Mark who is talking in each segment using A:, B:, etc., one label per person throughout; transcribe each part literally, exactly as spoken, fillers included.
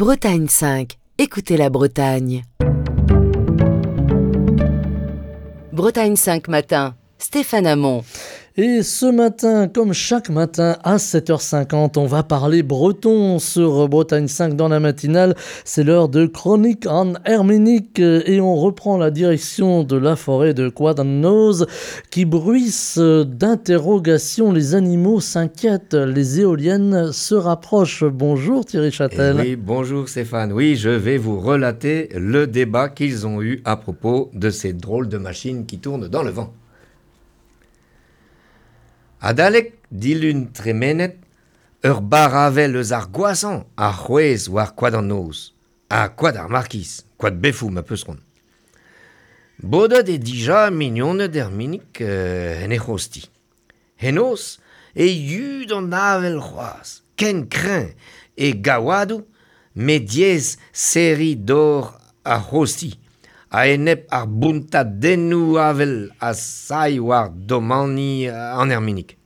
A: Bretagne cinq, écoutez la Bretagne. Bretagne cinq matin, Stéphane Hamon.
B: Et ce matin, comme chaque matin à sept heures cinquante, on va parler breton sur Bretagne cinq dans la matinale. C'est l'heure de Chronique en Herménique et on reprend la direction de la forêt de Koad an Noz qui bruisse d'interrogations. Les animaux s'inquiètent, les éoliennes se rapprochent. Bonjour Thierry Châtel.
C: Eh oui, bonjour Stéphane. Oui, je vais vous relater le débat qu'ils ont eu à propos de ces drôles de machines qui tournent dans le vent. Adalek dilun tremenet, ur baravel eus ar gwasañ a c'hwez war koad an noz, ha koad ar markiz, koad befou ma peus c'hoant. Bodet e dija mignoned Herminik euh, en e c'hosti. Henoz e yud an avel c'hoaz, ken kreñv e gaouadoù, met diaes serriñ dor ar c'hosti, a enep ar bountadennoù avel a sailh war domani an Herminik.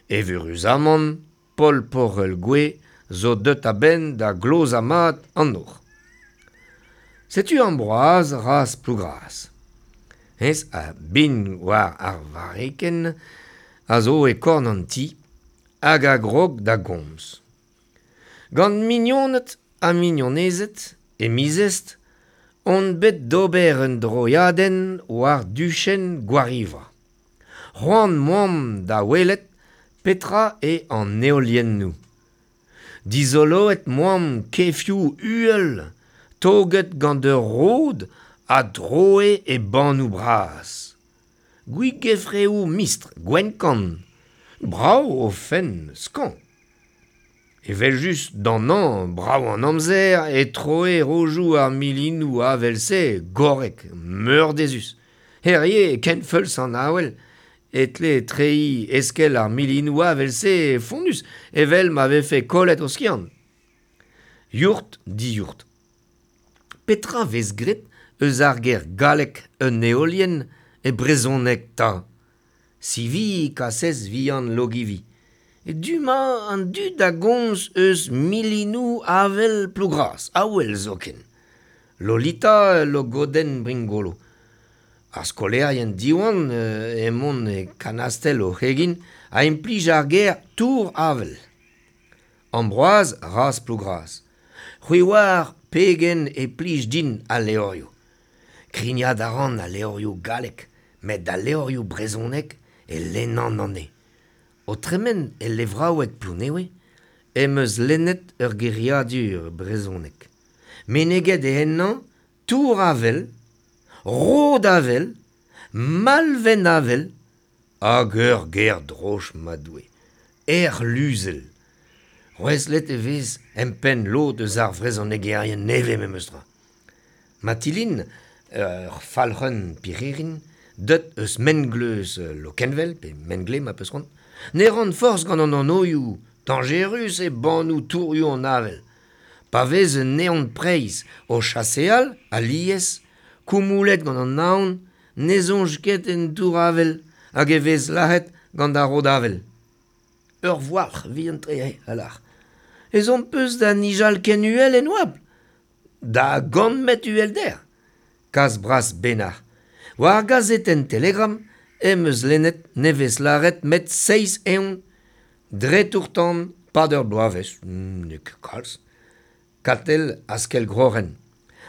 C: Evuruzamant, Paul Porel Gwe zo deut a-benn da glozañ mat an nor. Setu Ambroise raz Plougras. Hennezh a bin war ar varreken a zo e korn an ti hag a grog da gomz. Gant mignoned ha mignonezed e mizest on bet d'ober un droiadenn war duchenn Gwariva. C'hoant moamp da welet petra e an eoliennoù. Dizoloet moamp kefioù uhel, toget gant ur rod a droe e bannoù bras. Gwigefreoù mistr gwenn-kann, brav o fenn skañv. Evel just d'an hañv, brav an amzer e troe rojoù ar milinoù avel-se gorrek, meurdezus. Herie ken feuls an awel, e tle treiñ eskel ar milinoù avel-se fonnus, evel ma vefe kollet o skiant. Yourt diourt. Petra vez graet eus ar ger gallek un eolienn e brezhoneg ta. Sivi kasez vihan logivi. E du-mañ an dud a gomz eus milinoù avel Plougras, awel zoken. Lolita logodenn Bringolo. Ar skolaerien Diwan emaon e kanastel o c'hegin a implij ar ger tour avel. Ambroise raz Plougras. C'hwi oar pegen e plij din al levrioù. Krignat a ran al levrioù gallek, met al levrioù brezhonek e lennan anezhe. O tremen e levraoueg Plouneour, em eus lennet ur geriadur brezhonek. Meneget e ennañ tour avel, rod avel, malvenn avel, hag ur ger droch ma doue, erluzel. Rouezlet e vez empenn lod eus ar vrezhonegerien nevez memes tra. Matilin, ur falc'hun pirc'hirin, deut eus Mengleuz Lokenvel, pe Mengle ma peus c'hoant, ne ran forzh gant an anvioù, dañjerus e bannoù tourioù an avel. Pa vez un neon preizh o chaseal, alies, koumoulet gant an aon, ne soñj ket en tour avel hag e vez lazhet gant ar rod avel. Ur voualc'h vihan-tre eo, a lâr. Ezhomm peus da nijal ken uhel en oabl. Da gant metr uhelder. Kas bras benac'h. War ar gazetenn Telegram em eus lennet nevez lâret met seizh evn dre tour-tan pad ur bloavezh, n'eo ket kalz. Katell askell grorenn.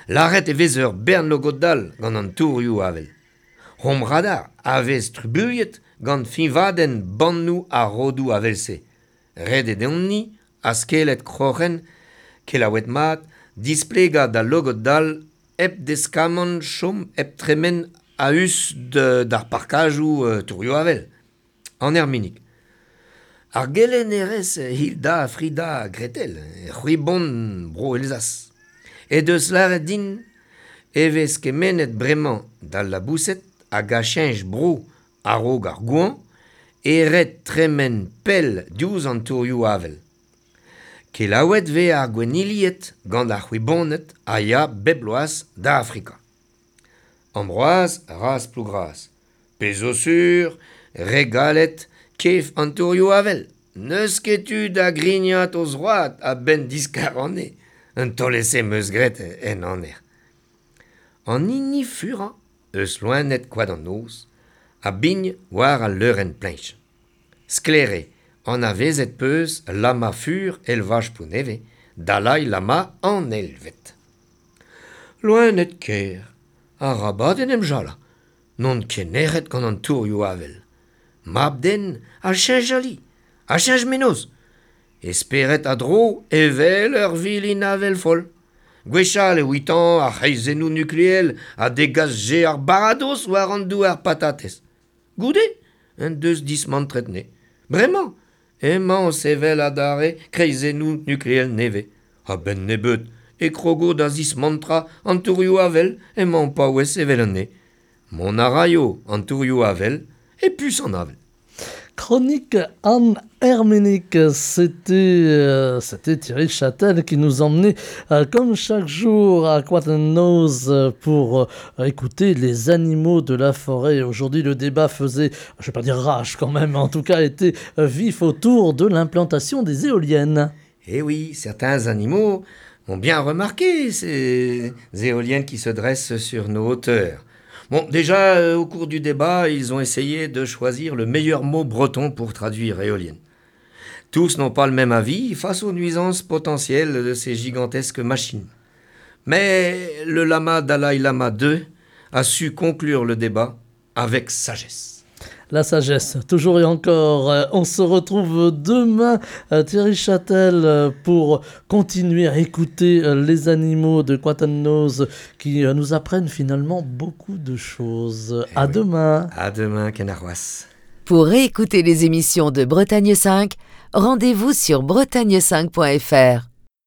C: Lâret e vez ur bern logod-dall gant an tourioù avel. Hom radar a vez trubuilhet gant fiñvadenn bannoù ar rodoù avel-se. Ret eo deomp-ni, askellet kroc'hen, kelaouet mat, displegañ d'al logod-dall hep deskamant chom hep tremen a-us d'ar parkajoù euh, tourioù avel. An Herminik. Ar gelennerez Hilda Frida Gretel, c'hwibon bro Elzas. E deus lâret din e vez kemennet bremañ d'al laboused hag a cheñch bro a-raok ar goañv e ret tremen pell diouzh an tourioù avel. Kelaouet vez ar gwennilied gant ar c'hwiboned a ya bep bloaz da Afrika. Ambroise raz Plougras. Pezh zo sur, re galet kef an tourioù avel. N'eus ket tu da grignat o zroad a-benn diskar anezhe. Un taol-ese 'm eus graet en aner. An hini furañ eus loened Koad an Noz a bign war al leurenn pleñch. Sklaer eo, anavezet 'peus Lama fur elvaj Plounevez, Dalai Lama an eilvet. Loened ker, arabat en em jalañ, n'on ket nec'het gant an tourioù avel. Mab-den a cheñch ali, a cheñch mennozh. E spered a dro evel ur vilin avel foll. Gwechall e ouitañ ar c'hreizennoù nukleel a degasje ar baradoz war an douar patatez. Goude, en deus dismantret 'ne. Bremañ, emañ o sevel adarre kreizennoù nukleel nevez. A-benn nebeut e krogo da zismantrañ an tourioù avel emañ o paouez sevel anezhe. Mont a raio an tourioù avel e puñs an avel.
B: Chronique Anne Herménic, c'était euh, c'était Thierry Châtel qui nous emmenait euh, comme chaque jour à Koad an Noz pour euh, écouter les animaux de la forêt. Aujourd'hui, le débat faisait, je vais pas dire rage quand même, mais en tout cas était vif autour de l'implantation des éoliennes.
C: Eh oui, certains animaux ont bien remarqué ces éoliennes qui se dressent sur nos hauteurs. Bon, déjà, euh, au cours du débat, ils ont essayé de choisir le meilleur mot breton pour traduire éolienne. Tous n'ont pas le même avis face aux nuisances potentielles de ces gigantesques machines. Mais le lama Dalai Lama deux a su conclure le débat avec sagesse.
B: La sagesse, toujours et encore. Euh, on se retrouve demain, euh, Thierry Châtel, euh, pour continuer à écouter les animaux de Koad an Noz qui nous apprennent finalement beaucoup de choses.
C: Eh
B: À
C: oui.
B: demain.
C: À demain, Kenaroas.
A: Pour réécouter les émissions de Bretagne cinq, rendez-vous sur bretagne cinq point F R.